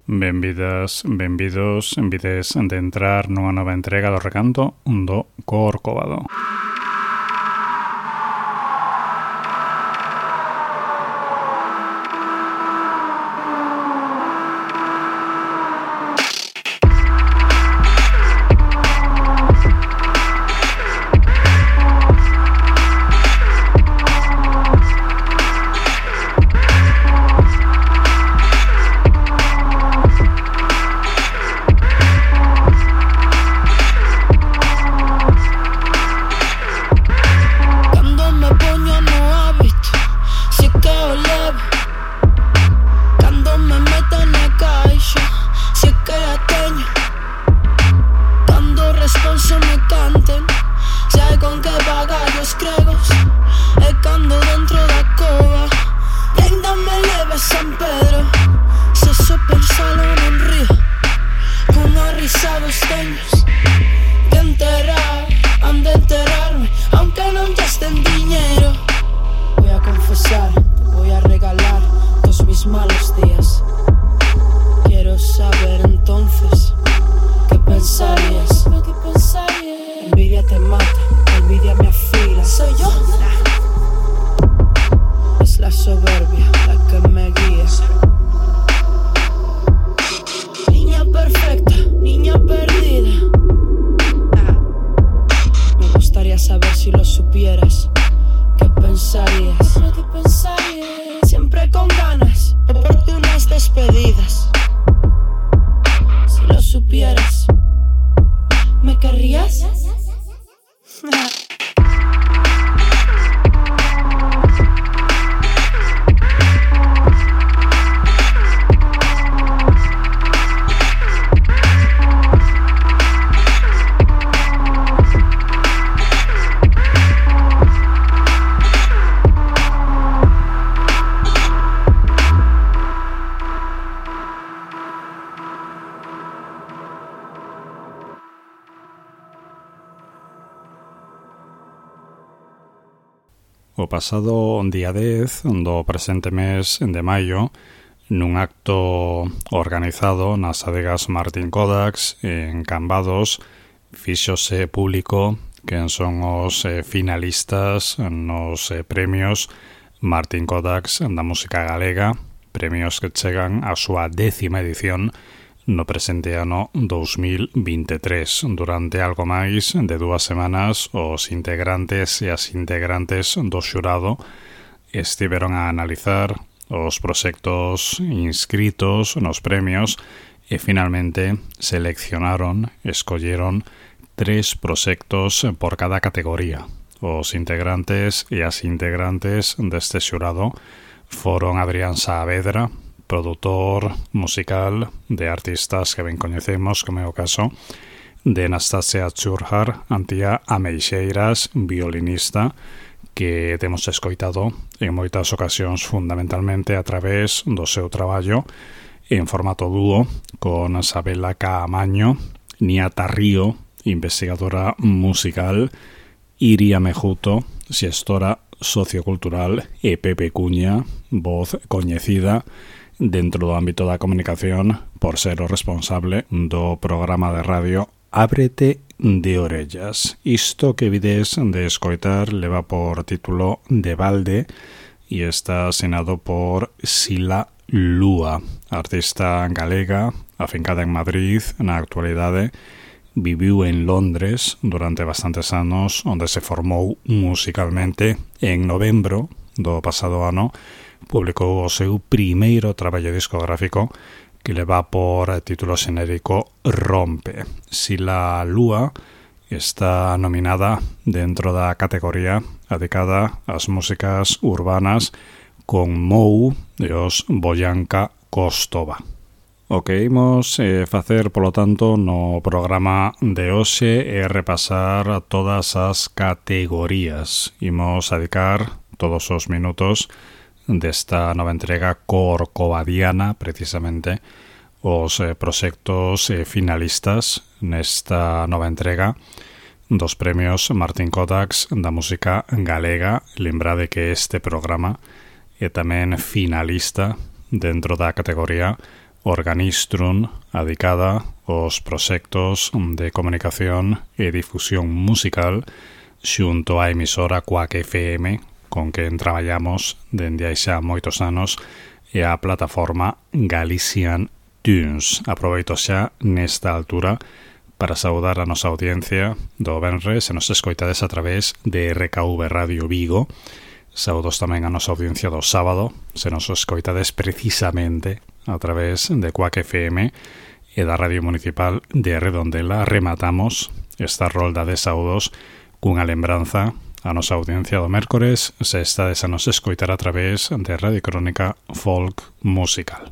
Benvidas, benvidos, envides de entrar nunha nova entrega do recanto do Corcovado. O pasado día 10 do presente mes de maio, nun acto organizado nas adegas Martín Kodaks en Cambados, fíxose público quen son os finalistas nos premios Martín Kodaks da música galega, premios que chegan á súa 10ª edición no presente ano 2023. Durante algo máis de 2 semanas, os integrantes e as integrantes do xurado estiveron a analizar os proxectos inscritos nos premios e finalmente escolleron 3 proxectos por cada categoría. Os integrantes e as integrantes deste xurado foron Adrián Saavedra, produtor musical de artistas que ben coñecemos, como é o caso de Anastasia Churhar, Antía Ameixeiras, violinista, que temos escoitado en moitas ocasións fundamentalmente a través do seu traballo en formato dúo con Sabela Caamaño, Niata Río, investigadora musical, Iria Mejuto, xestora sociocultural, e Pepe Cuña, voz coñecida dentro do ámbito da comunicación por ser o responsable do programa de radio Ábrete de Orellas. Isto que vides de escoitar leva por título De Balde e está asinado por Sila Lúa, artista galega, afincada en Madrid, na actualidade, viviu en Londres durante bastantes anos, onde se formou musicalmente. En novembro do pasado ano publicou o seu primeiro traballo discográfico, que le va por título xenérico Rompe. Si la Lúa está nominada dentro da categoría dedicada ás músicas urbanas con Mou e os Boyanka Kostova. O que imos facer, polo tanto, no programa de hoxe é repasar todas as categorías. Imos dedicar todos os minutos desta nova entrega corcovadiana, precisamente, os proxectos finalistas nesta nova entrega dos premios Martín Kodax da música galega. Lembrade que este programa é tamén finalista dentro da categoría Organistrum, dedicada aos proxectos de comunicación e difusión musical xunto á emisora Quack FM, con quen traballamos dende hai xa moitos anos, e a plataforma Galician Tunes. Aproveito xa nesta altura para saudar a nosa audiencia do venres, se nos escoitades a través de RKV Radio Vigo. Saudos tamén a nosa audiencia do sábado, se nos escoitades precisamente a través de Quack FM e da Radio Municipal de Redondela. Rematamos esta rolda de saudos cunha lembranza a nosa audiencia do mércores, se estades a nos escoitar a través de Radio Crónica Folk Musical.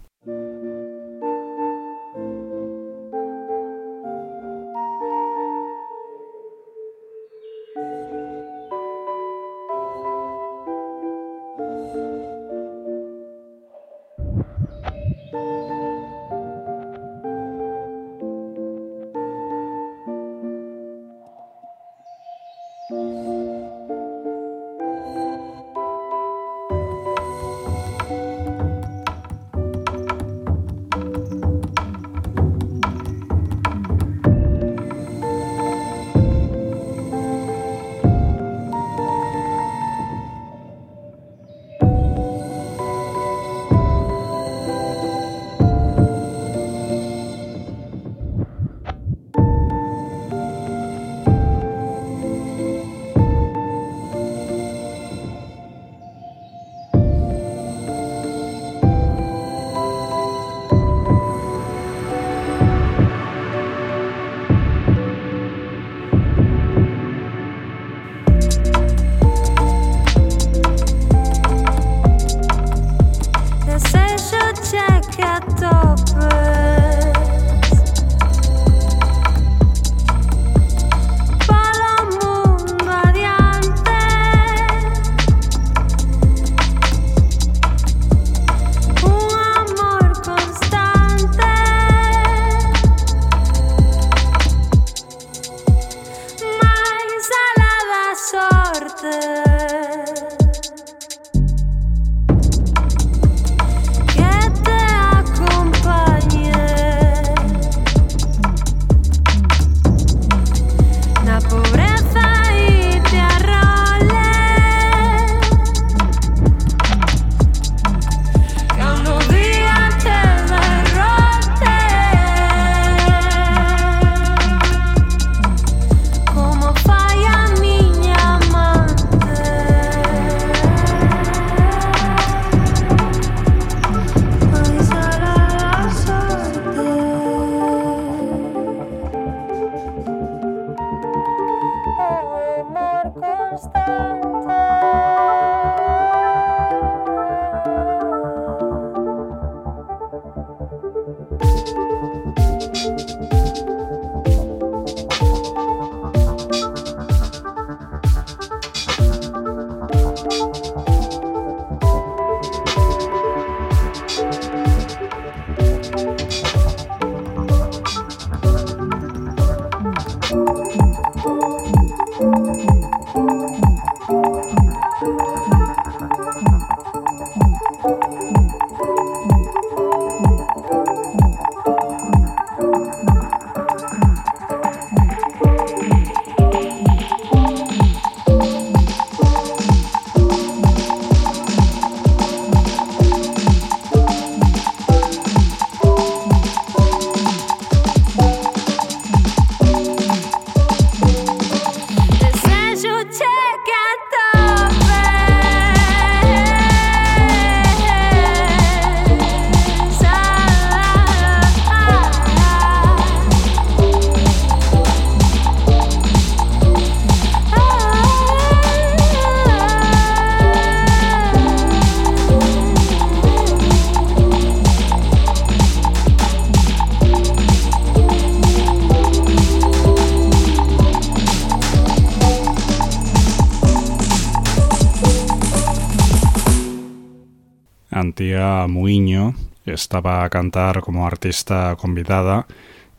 María Muiño estaba a cantar como artista convidada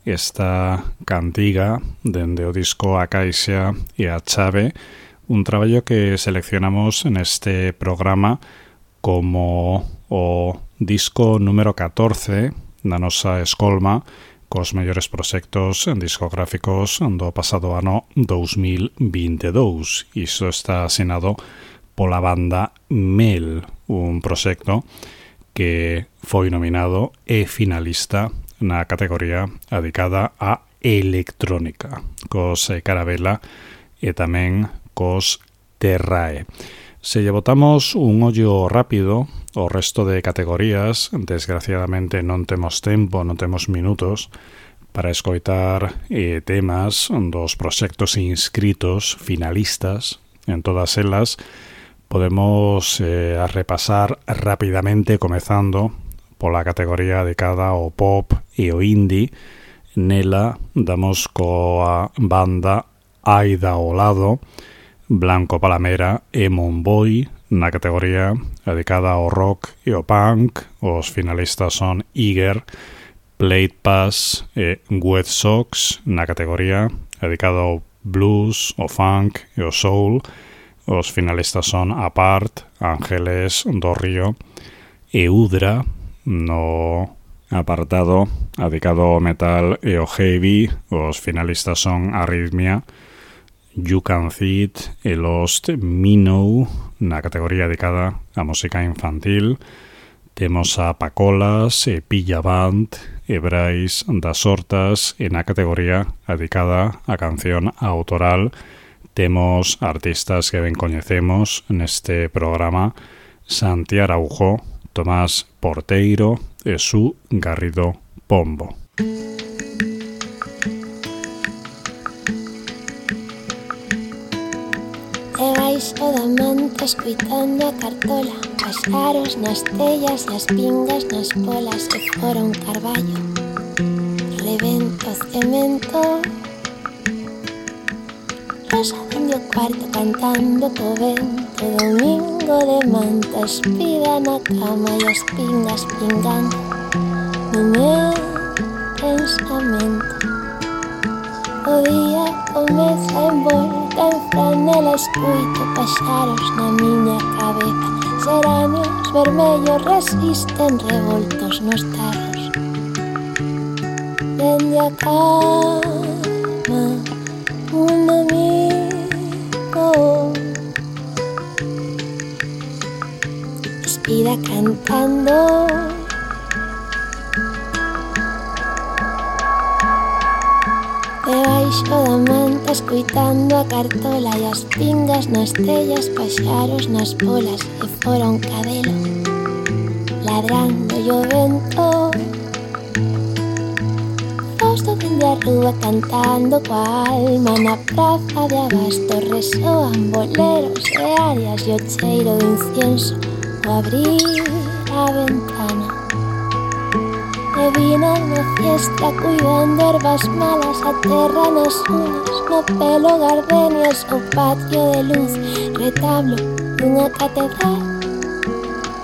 esta cantiga dende o disco A Caixa e a Chave, un traballo que seleccionamos en este programa como o disco número 14 da nosa escolma cos mellores proxectos discográficos do pasado ano 2022. Iso está asinado pola banda Mel, un proxecto que foi nominado e finalista na categoría dedicada a electrónica, cos Carabela e tamén cos Terrae. Se lle botamos un ollo rápido o resto de categorías, desgraciadamente non temos tempo, non temos minutos para escoitar temas dos proxectos inscritos finalistas. En todas elas podemos repasar rapidamente, comezando pola categoría dedicada ao pop e o indie. Nela damos coa banda Aida ao lado, Blanco Palamera e Monboy. Na categoría dedicada ao rock e ao punk, os finalistas son Iger, Plate Pass e Wet Sox. Na categoría dedicada ao blues, ao funk e ao soul, os finalistas son Apart, Ángeles do Río e Udra. No apartado dedicado ao metal e ao heavy, os finalistas son Arrhythmia, You Can See It e Lost Minnow. Na categoría dedicada á música infantil temos a Pacolas e Pilla Band e Brais das Hortas, e na categoría dedicada á canción autoral temos artistas que ben coñecemos neste programa: Santi Araujo, Tomás Porteiro e Su Garrido Pombo. Debaixo da manta escoitando a cartola, paxaros nas tellas e as pingas nas polas, e fora un carballo, rebento cemento. Rosa dende o cuarto cantando co vento, domingo de manta espida na cama e as pingas pingando no meu pensamento. O día comeza envolta en franela, escuito paxaros na miña cabeza, xeranios vermellos resisten revoltos nos tarros. Dende a cama un amigo espida cantando. Debaixo da manta escoitando a cartola e as pingas nas tellas, paxaros nas polas, e fora un cadelo ladrando e o vento. Fausto dende a rúa cantando coa alma, na praza de abasto resoan boleros e arias e o cheiro de incienso o abrir a ventana. E vina na fiesta cuidando ervas malas, a terra nas uñas, no pelo gardenias, o patio de luz, retablo dunha catedral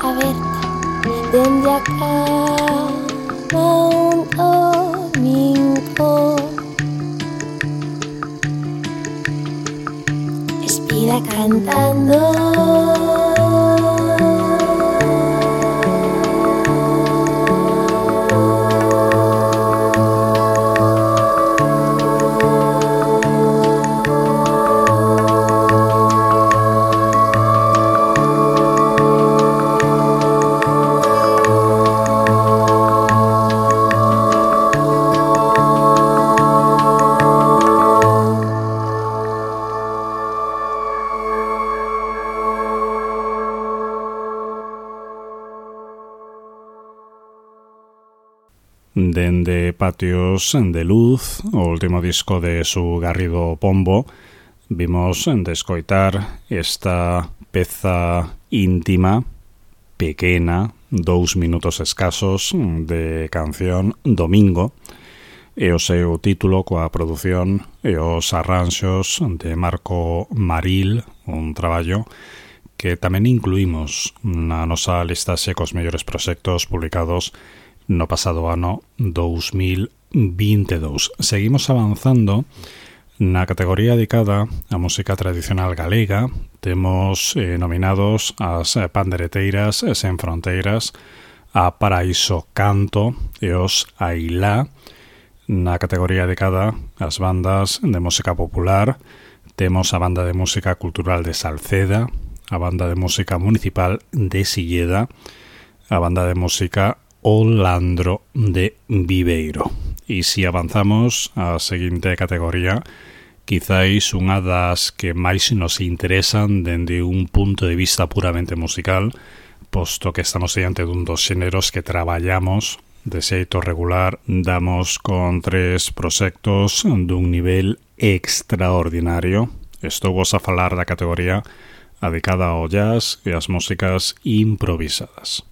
aberta. Dende a cama un domingo espida cantando. Dende Patios de Luz, o último disco de Su Garrido Pombo, vimos descoitar esta peza íntima, pequena, 2 minutos escasos, de canción Domingo, e o seu título coa produción e os arranxos de Marco Maril, un traballo que tamén incluímos na nosa listaxe cos mellores proxectos publicados no pasado ano 2022. Seguimos avanzando na categoría dedicada á música tradicional galega. Temos nominados as Pandereteiras Sen Fronteiras, a Paraíso Canto e os Ailá. Na categoría dedicada ás bandas de música popular temos a Banda de Música Cultural de Salceda, a Banda de Música Municipal de Silleda, a Banda de Música O Landro de Viveiro. E se avanzamos á seguinte categoría, quizáis unha das que máis nos interesan dende un punto de vista puramente musical, posto que estamos diante dun dos xéneros que traballamos de xeito regular. Damos con 3 proxectos dun nivel extraordinario. Estou vos a falar da categoría dedicada ao jazz e ás músicas improvisadas.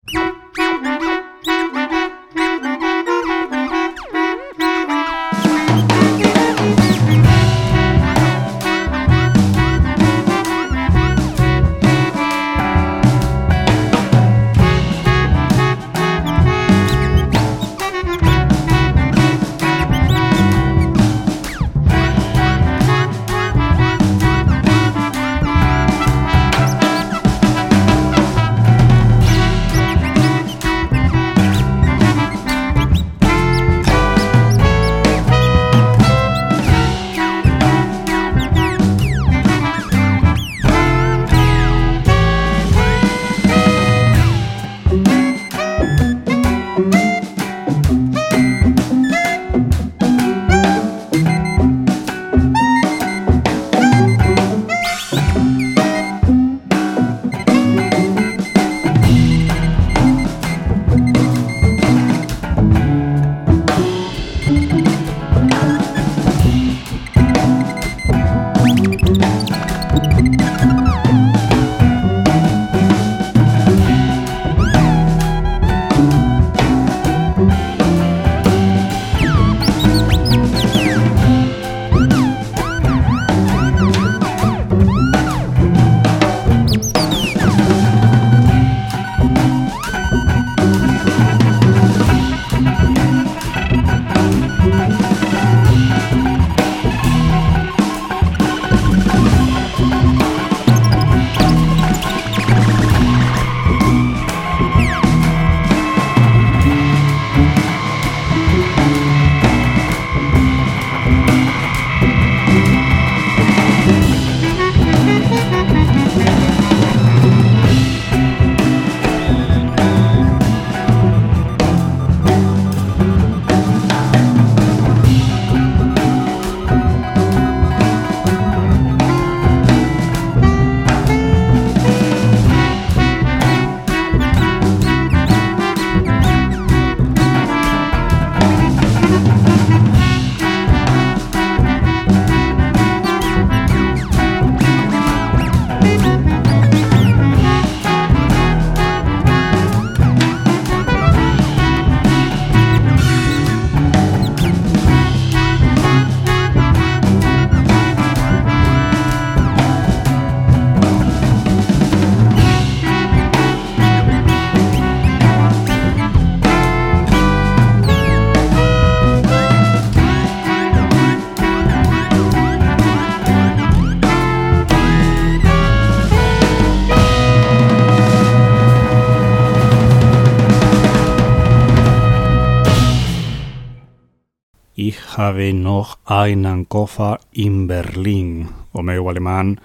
Ich habe noch einen Koffer in Berlin. O meu alemán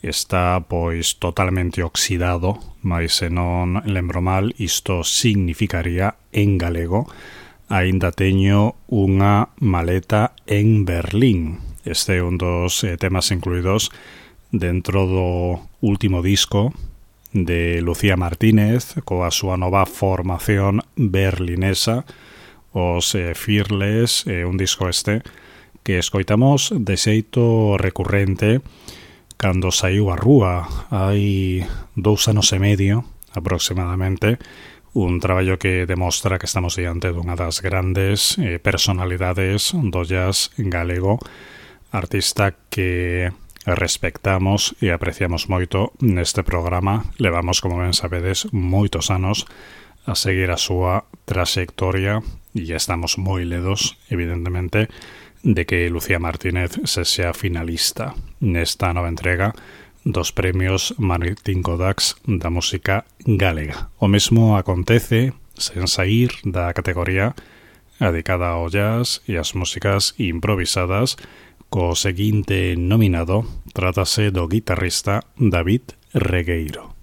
está pois totalmente oxidado, mas se non lembro mal, isto significaría en galego: aínda teño unha maleta en Berlín. Este é un dos temas incluídos dentro do último disco de Lucía Martínez coa súa nova formación berlinesa, os Fearless, un disco que escoitamos de xeito recurrente cando saiu a rúa hai 2 anos e medio aproximadamente, un traballo que demostra que estamos diante dunha das grandes personalidades do jazz galego, artista que respectamos e apreciamos moito neste programa. Levamos, como ben sabedes, moitos anos a seguir a súa traxectoria e estamos moi ledos, evidentemente, de que Lucía Martínez sexa finalista nesta nova entrega dos premios Martín Codax da música galega. O mesmo acontece sen saír da categoría dedicada ao jazz e as músicas improvisadas co seguinte nominado. Trátase do guitarrista David Regueiro.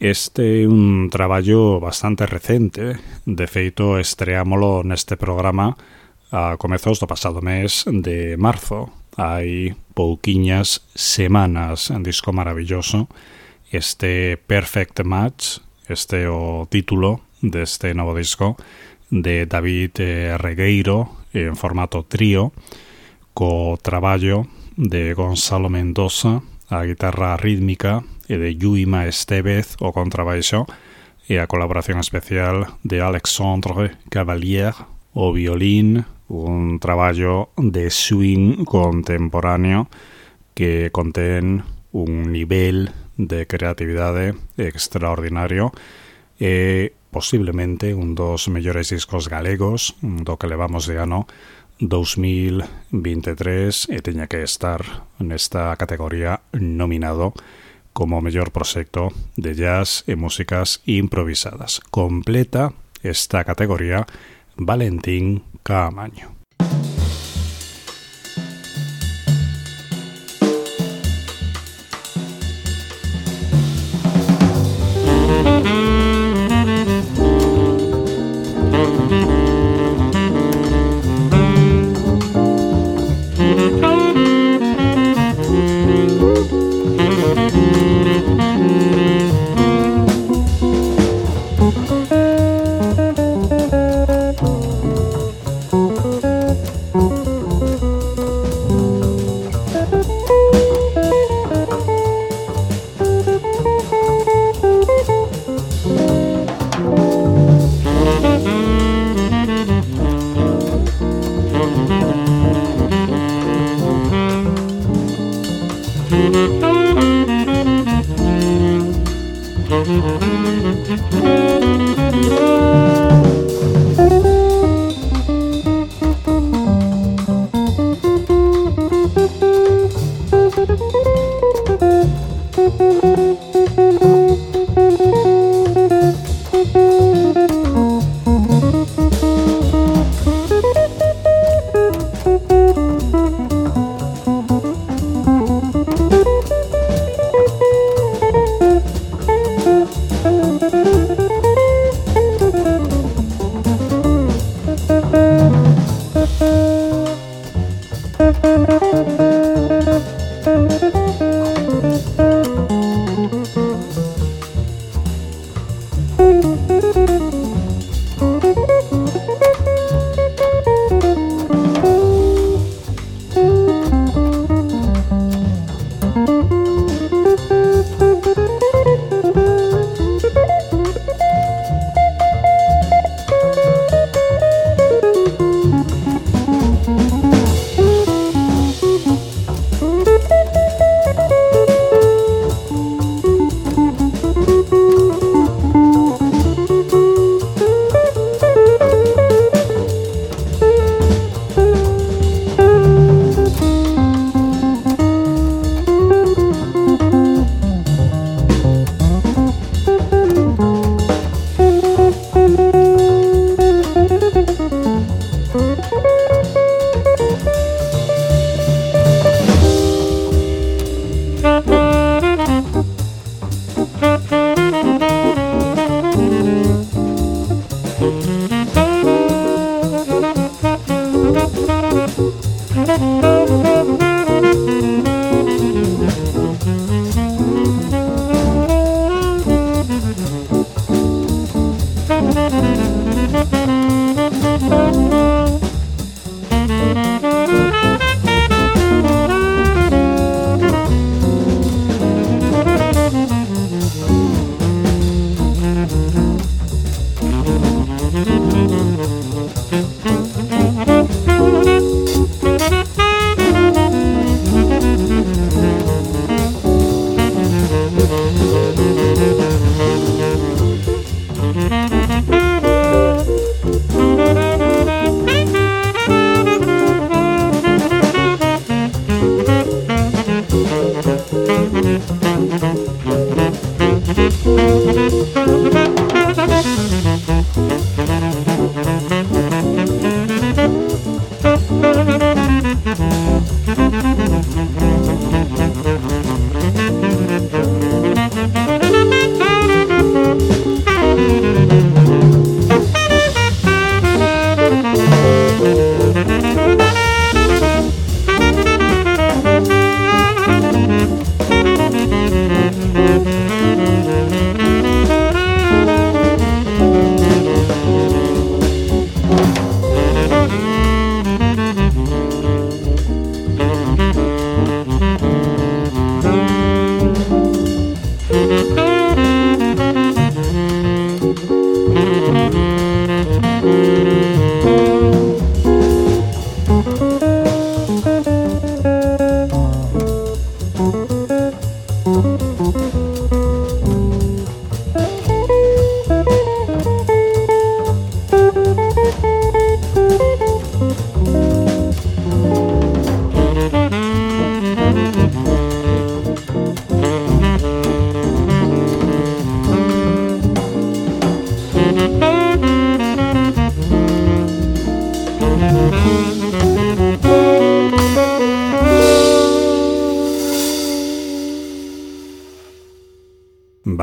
Este é un traballo bastante recente. De feito, estreámolo neste programa a comezos do pasado mes de marzo. Hai pouquiñas semanas, un disco maravilloso. Este Perfect Match, este é o título deste novo disco de David Regueiro en formato trío, co traballo de Gonzalo Mendoza a guitarra rítmica e de Yuima Estevez o contrabaixo e a colaboración especial de Alexandre Cavalier o violín, un traballo de swing contemporáneo que contén un nivel de creatividade extraordinario e posiblemente un dos mellores discos galegos do que levamos de ano 2023 e teña que estar nesta categoría nominado como mellor proxecto de jazz e músicas improvisadas. Completa esta categoría Valentín Caamaño.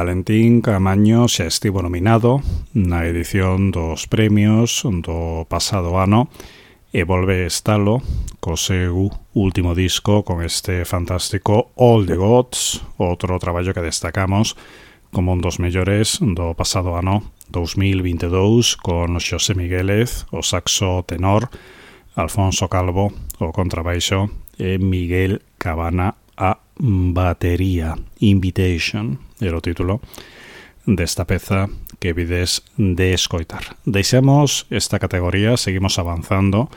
Valentín Caamaño xa estivo nominado na edición dos premios do pasado ano e volve estalo co seu último disco con este fantástico All the Gods, outro traballo que destacamos como un dos mellores do pasado ano 2022 con Xosé Miguélez, o saxo tenor, Alfonso Calvo, o contrabaixo e Miguel Cabana a batería. Invitation era o título desta peza que vides de escoitar. Deixamos esta categoría, seguimos avanzando.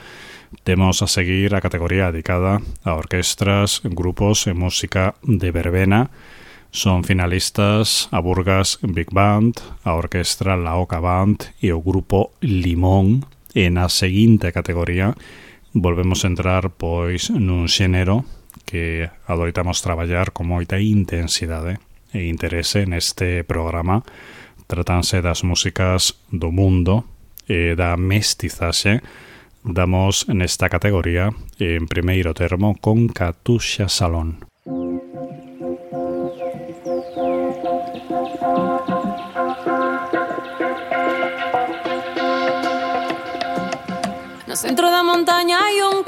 Temos a seguir a categoría dedicada a orquestras, grupos e música de verbena. Son finalistas a Burgas Big Band, a orquestra La Oca Band e o grupo Limón. E na seguinte categoría volvemos a entrar pois nun xénero que adoitamos traballar con moita intensidade e interese neste programa. Tratanse das músicas do mundo e da mestizaxe. Damos nesta categoría en primeiro termo con Katusha Salón. No centro da montaña hai un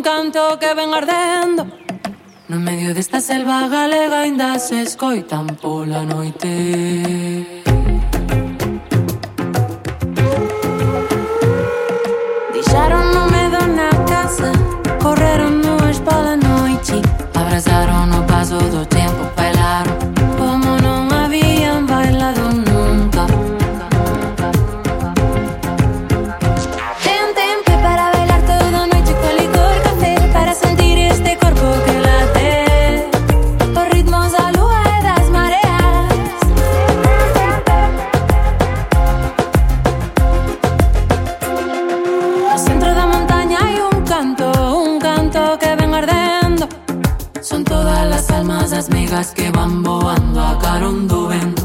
canto que ven ardendo. No medio desta selva galega ainda se escoitan pola noite. Deixaron o medo na casa, correron nuas pola noite, abrazaron o paso do tempo, bailaron como non habían bailado nunca. Ten tempo para bailar toda a noite con licor café, para sentir este corpo que late os ritmos da lua e das mareas. No centro da montaña hai un canto que ven ardendo. Son todas as almas as migas que van voando a carón do vento.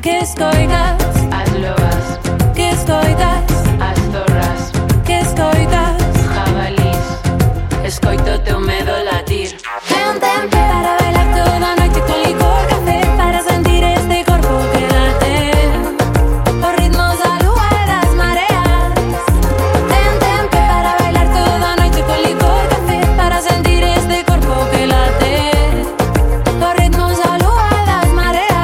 Que escoitas? As lobas. Que escoitas? As zorras. Que escoitas? Jabalís. Escoito teu medo latir. Ten tempo para bailar toda a noite con licor café, para sentir este corpo que late os ritmos da lua e das mareas. Ten tempo para bailar toda a noite con licor café, para sentir este corpo que late os ritmos da lua e das mareas.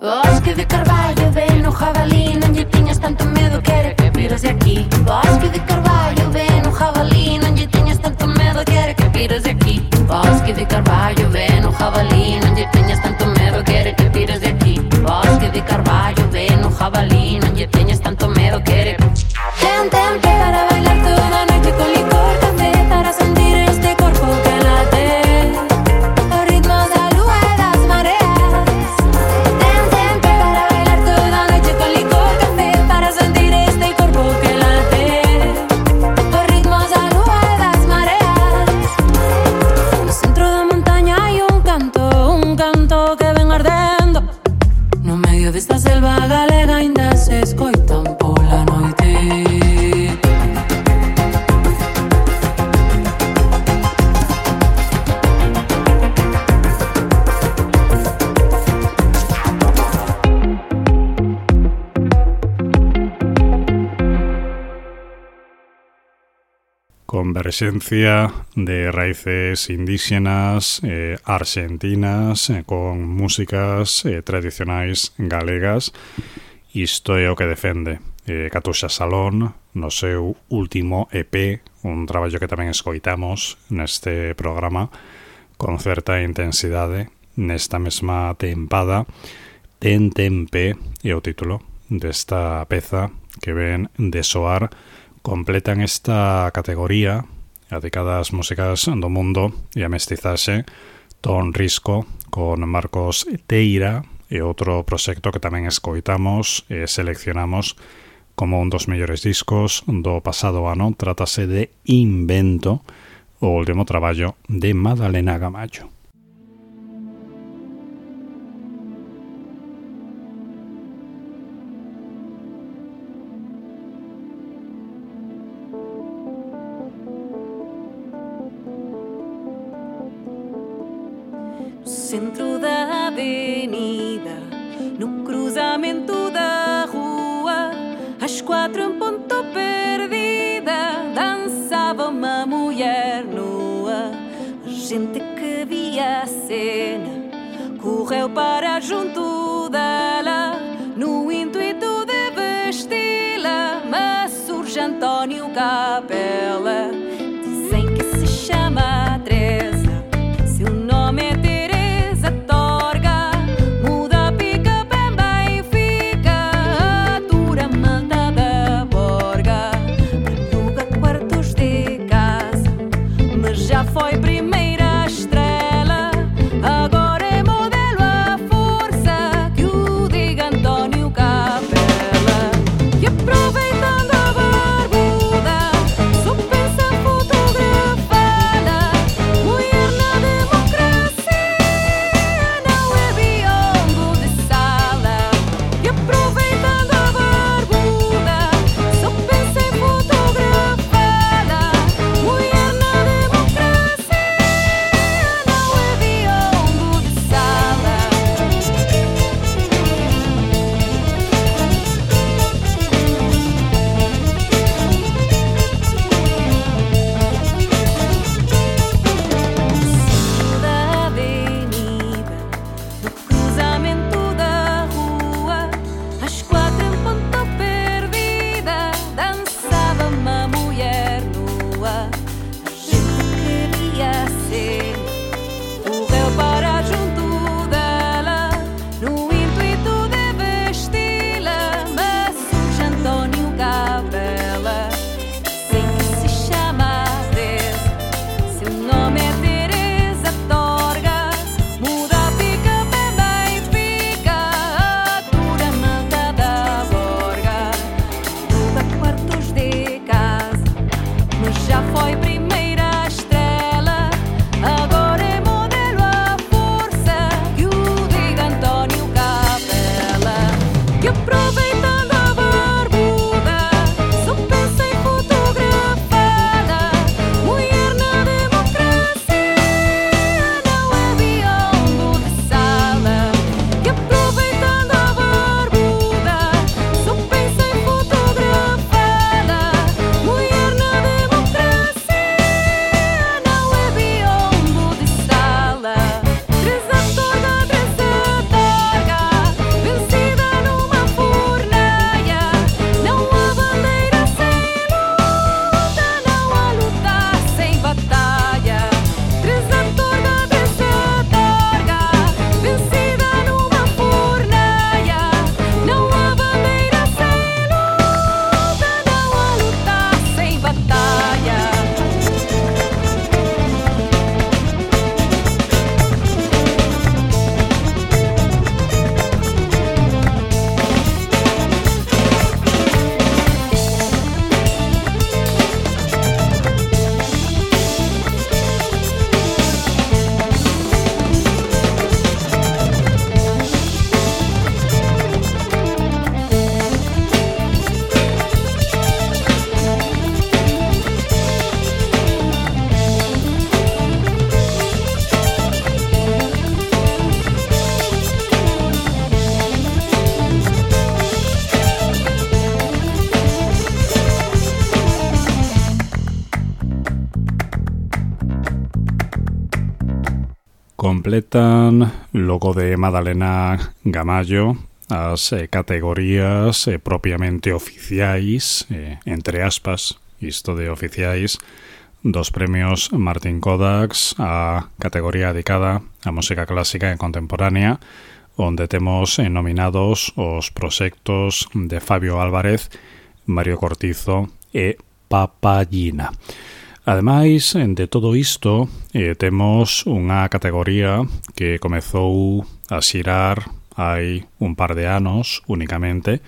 Bosque de carvalho, ven no jabalí, non lle tiñas tanto medo, quere que vires de aquí. Bosque de carvalho, ven no jabalí, non lle tiñas tanto medo, quere que vires de aquí. Bosque de carvalho, ven no jabalí, non lle tiñas tanto medo, quere que vires de aquí. Bosque de carvalho, ven no jabalí, non lle tiñas tanto medo, quere. Ten tempo para bailar toda a noite con licor café, para sentir este corpo que late os ritmos da lua e das mareas. Ten tempo para bailar toda a noite con licor café, para sentir este corpo que late os ritmos da lua e das mareas. No centro da montaña hai un canto que ven ardendo. No medio desta selva galega ainda se escoitan pola noite. Convergencia de raíces indígenas, argentinas, con músicas tradicionais galegas. Isto é o que defende Catuxa Salón no seu último EP, un traballo que tamén escoitamos neste programa con certa intensidade nesta mesma tempada. Ten tempe é o título desta peza que ven de soar. Completan esta categoría a de cada as músicas do mundo e a mestizaxe Ton Risco con Marcos Teira e outro proxecto que tamén escoitamos e seleccionamos como un dos mellores discos do pasado ano. Trátase de Invento, o último traballo de Madalena Gamallo. Centro da avenida, no cruzamento da rua, às 4 em ponto perdida, dançava uma mulher nua. A gente que via a cena correu para junto dela, no intuito de vesti-la, mas surge António Capela. Dizem que se chama Teresa, seu nome é Teresa Torga. Muda, pica, pemba e fica, atura, manda da borga. Aluga quartos de casa, mas já foi primeira estrela. Agora é modelo à força, que o diga António Capela. E aproveitando a barbuda, só pensa Completan logo de Madalena Gamallo as categorías propiamente oficiais, entre aspas, isto de oficiais, dos premios Martín Kodax, a categoría dedicada á música clásica e contemporánea, onde temos nominados os proxectos de Fabio Álvarez, Mario Cortizo e Papallina. Ademais de todo isto, temos unha categoría que comezou a xirar hai un par de anos únicamente.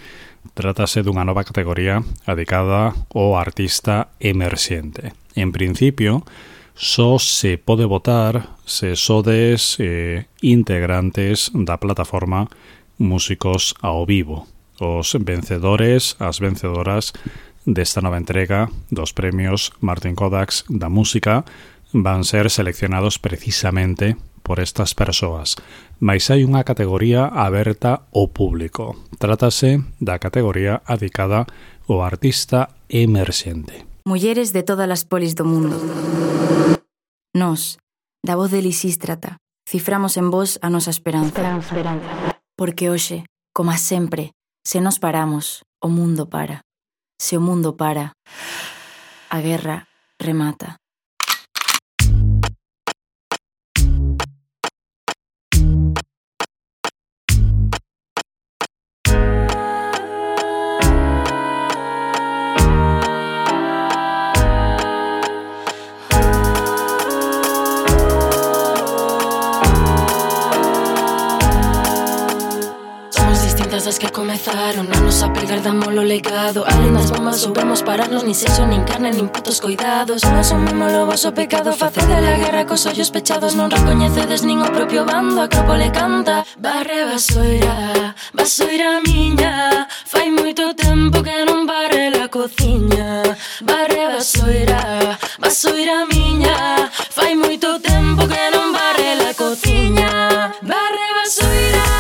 Trátase dunha nova categoría dedicada ao artista emerxente. En principio, só se pode votar se sodes integrantes da plataforma Músicos ao Vivo. Os vencedores, as vencedoras desta nova entrega dos premios Martín Kodax da música van ser seleccionados precisamente por estas persoas. Mais hai unha categoría aberta ao público. Trátase da categoría dedicada ao artista emerxente. Mulleres de todas as polis do mundo. Nós, da voz de Lisístrata, ciframos en vos a nosa esperanza. Porque hoxe, como sempre, se nos paramos, o mundo para. Se o mundo para, a guerra remata. As que comezaron a nos apegar dámolo legado. Alén das bombas soubemos pararnos. Nin sexo, nin carne, nin putos coidados. Non asumimos o vosso pecado. Facede a guerra cos ollos pechados. Non recoñecedes nin o propio bando. A Acrópole canta. Barre vasoira miña. Fai moito tempo que non barre la cociña. Barre vasoira miña. Fai moito tempo que non barre la cociña. Barre vasoira miña.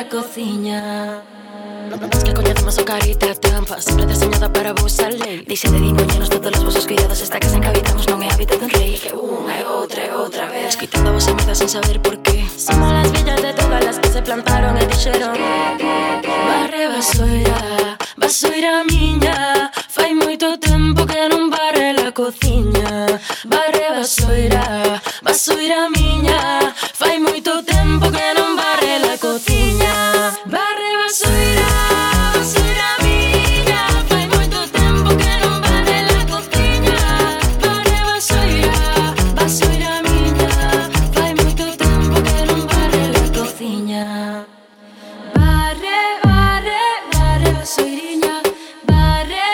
Cociña. Es que coñecemos o carita trampa. Sempre deseñada para vos a lei. Dixe de diñoñenos todos os vosos cuidados. Esta casa en que habitamos non é hábitat dun rei. Que unha e outra vez escoitando a vosa merda sen saber por qué. Somos las villas de todas las que se plantaron e dixeron barre vasoira miña. Fai moito tempo que non barre la cociña. Barre vasoira miña. Fai moito tempo que non barre la cociña. Barre vasoira miña. Fai moito tempo que non barre la cociña. Barre vasoira miña. Fai moito tempo que non barre la cociña. Barre vasoiriña. Barre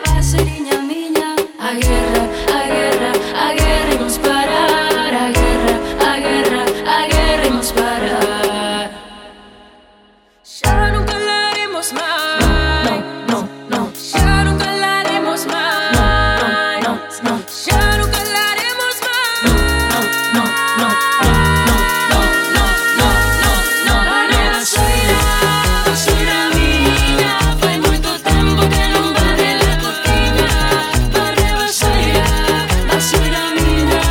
vasoiriña miña. A guerra imos parar. A guerra imos parar. Xa nunca la haremos máis. No. Xa nunca la haremos máis. No. Xa nunca la haremos máis. No. Barre vasoira miña. Fai moito tempo que non barre la cociña. Barre vasoira miña.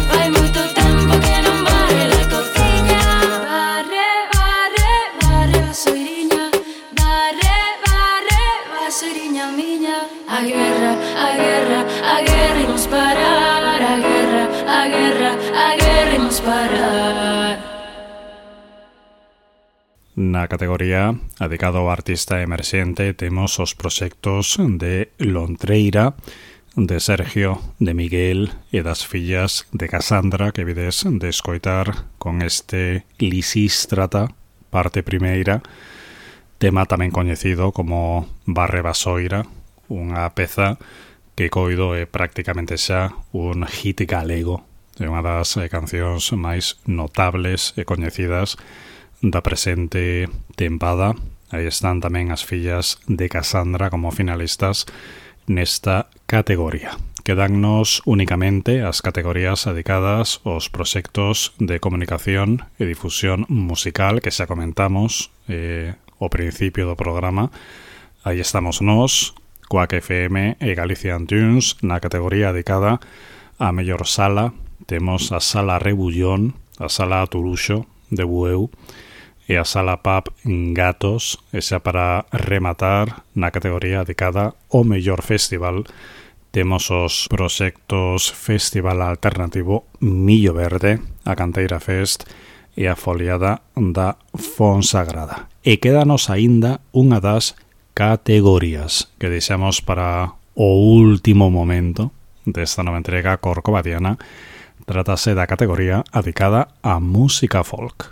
Fai moito tempo que non barre la cociña. Barre vasoiriña. Barre vasoiriña miña. A guerra imos parar. A guerra imos parar. Na categoría dedicada ao artista emerxente temos os proxectos de Lontreira, de Sergio, de Miguel e das fillas de Casandra, que vides de escoitar con este Lisístrata, parte primeira, tema tamén coñecido como Barre vasoira, unha peza que coido é prácticamente xa un hit galego. É unha das cancións máis notables e coñecidas da presente tempada. Aí están tamén as fillas de Casandra como finalistas nesta categoría. quedannos únicamente as categorías dedicadas aos proxectos de comunicación e difusión musical que xa comentamos ao principio do programa. Aí estamos nós, Quack FM e Galician Tunes, na categoría dedicada a mellor sala. Temos a Sala Rebullón, a Sala Turuxo de Bueu e a Sala Pub Gatos, e xa para rematar na categoría dedicada ao mellor festival temos os proxectos Festival Alternativo Millo Verde, a Canteira Fest e a Foliada da Fonsagrada. E quédanos aínda unha das categorías que deixamos para o último momento desta nova entrega corcovadiana. Trátase da categoría dedicada a música folk.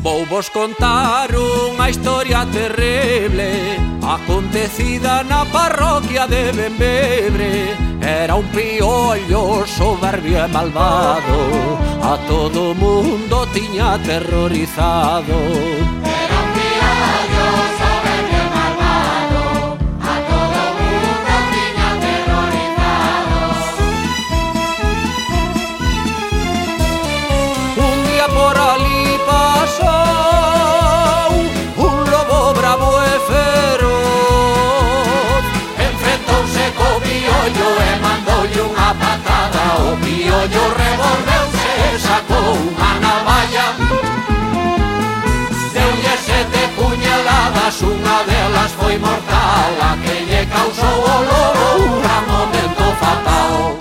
Vou vos contar unha historia terrible acontecida na parroquia de Bembebre. Era un piollo soberbio e malvado, a todo mundo tiña aterrorizado. Era un piollo soberbio e malvado, a todo mundo tiña aterrorizado. Un día por ali pasou un lobo bravo e feroz, enfrentouse co piollo e mandoulle unha patada. O piollo revolveuse e sacou unha navalla, deulle 7 puñaladas, unha delas foi mortal, a que lle causou o lobo un gran momento fatal.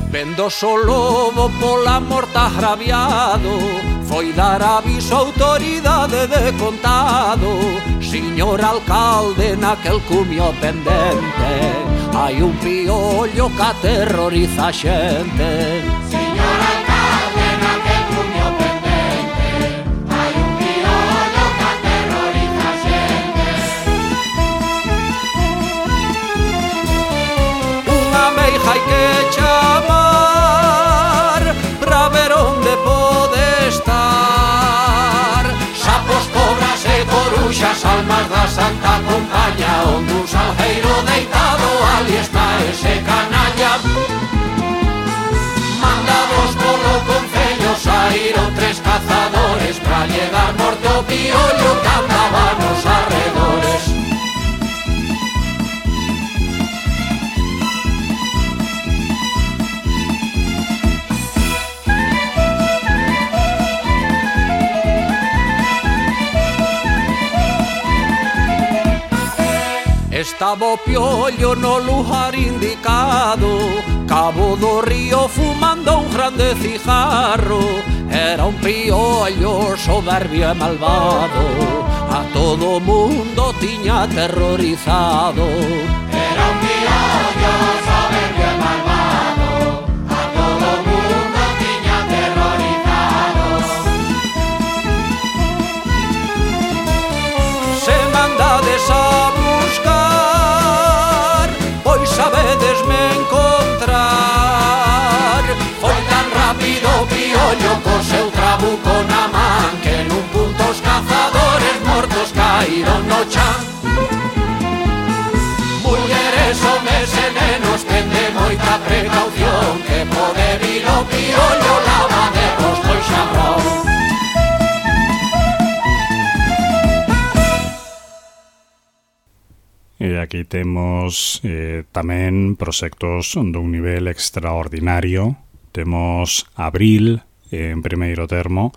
Vendose o lobo pola morta agraviado, foi dar aviso á autoridade de contado. Señor alcalde, naquel cumio pendente hai un piollo que aterroriza a xente. Señor alcalde, naquel cumio pendente hai un piollo que aterroriza a xente. Unha meiga hai que chamar pra ver onde pode estar. Sapos, cobras e coruxas, almas da Santa Compaña, onde un salgueiro deitado ali está ese canalla. Mandados polo concello saíron 3 cazadores pra lle dar morte ao piollo que andaba nos arredores. Estaba o piollo no lugar indicado, cabo do río fumando un grande cigarro. Era un piollo soberbio e malvado, a todo mundo tiña aterrorizado. Era un piollo soberbio e malvado, a todo mundo tiña aterrorizado. Se mandades a buscar, pois sabedesme encontrar. Foi tan rápido o piollo co seu trabuco na man, que nun punto os cazadores mortos caíron no chan. Mulleres, homes e nenos, tende moita precaución, que pode vir o piollo lavadevos do xabón. E aquí temos tamén proxectos dun nivel extraordinario. Temos Abril en primeiro termo,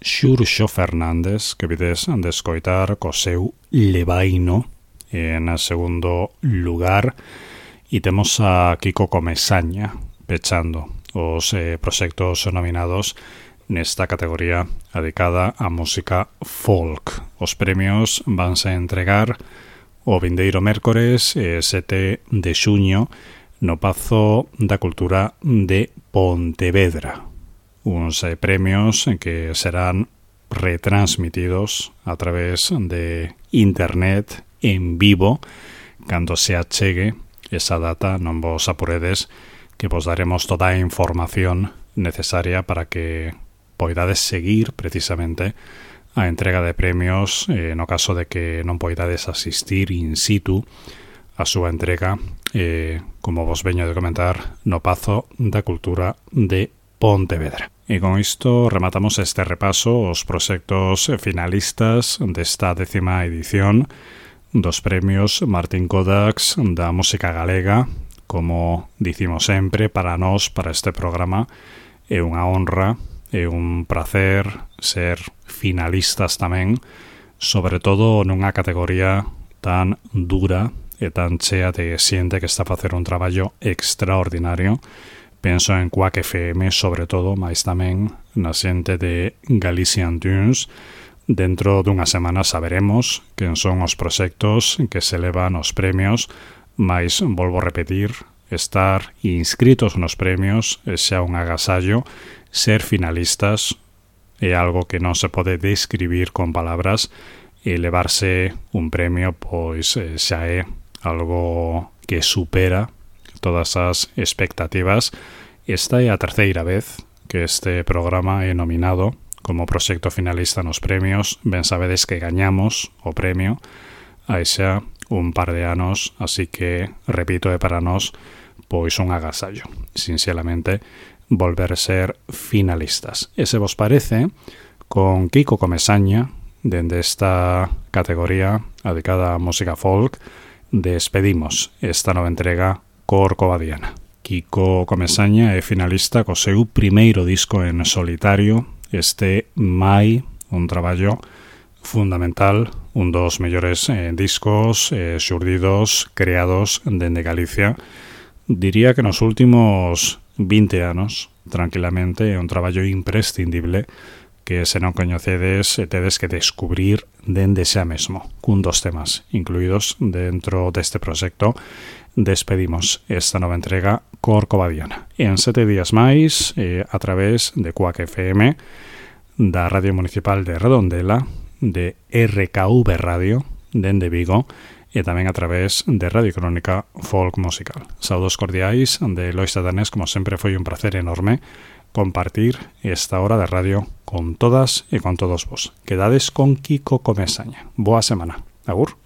Xurxo Fernández, que vides de escoitar co seu Levaino en segundo lugar, e temos a Kiko Comesaña pechando os proxectos nominados nesta categoría dedicada á música folk. Os premios vanse entregar o vindeiro mércores 7 de xuño no Pazo da Cultura de Pontevedra. Uns premios que serán retransmitidos a través de internet en vivo cando se achegue esa data. Non vos apuredes, que vos daremos toda a información necesaria para que poidades seguir precisamente a entrega de premios no caso de que non poidades asistir in situ a súa entrega, como vos veño de comentar, no Pazo da Cultura de Pontevedra. E con isto rematamos este repaso aos proxectos finalistas desta 10ª edición dos premios Martín Codax da música galega. Como dicimos sempre, para nós, para este programa, é unha honra, é un placer ser finalistas tamén, sobre todo nunha categoría tan dura e tan chea de xente que está a facer un traballo extraordinario. Penso en Quack FM, sobre todo, mas tamén na xente de Galician Tunes. Dentro dunha semana saberemos quen son os proxectos que se levan os premios, mas volvo a repetir, estar inscritos nos premios é xa un agasallo. Ser finalistas é algo que non se pode describir con palabras, e levarse un premio pois xa é algo que supera todas as expectativas. Esta é a terceira vez que este programa é nominado como proxecto finalista nos premios. Ben sabedes que gañamos o premio hai xa un par de anos, así que, repito, é para nós pois un agasallo, sinceramente, volver a ser finalistas. E se vos parece, con Kiko Comesaña, dende esta categoría dedicada a música folk, despedimos esta nova entrega Corcovadiana. Kiko Comesaña é finalista co seu primeiro disco en solitario, este Mai, un traballo fundamental, un dos mellores discos xurdidos, creados dende Galicia. Diría que nos últimos 20 anos, tranquilamente, é un traballo imprescindible que, se non coñecedes, tedes que descubrir dende xa mesmo, cun dos temas incluídos dentro deste proxecto. Despedimos esta nova entrega Corcovadiana. En 7 días máis, a través de Quack FM, da Radio Municipal de Redondela, de RKV Radio, dende Vigo, e tamén a través de Radio Crónica Folk Musical. Saudos cordiais de Lois Danés. Como sempre, foi un placer enorme compartir esta hora de radio con todas e con todos vos. Quedades con Kiko Comesaña. Boa semana. Agur.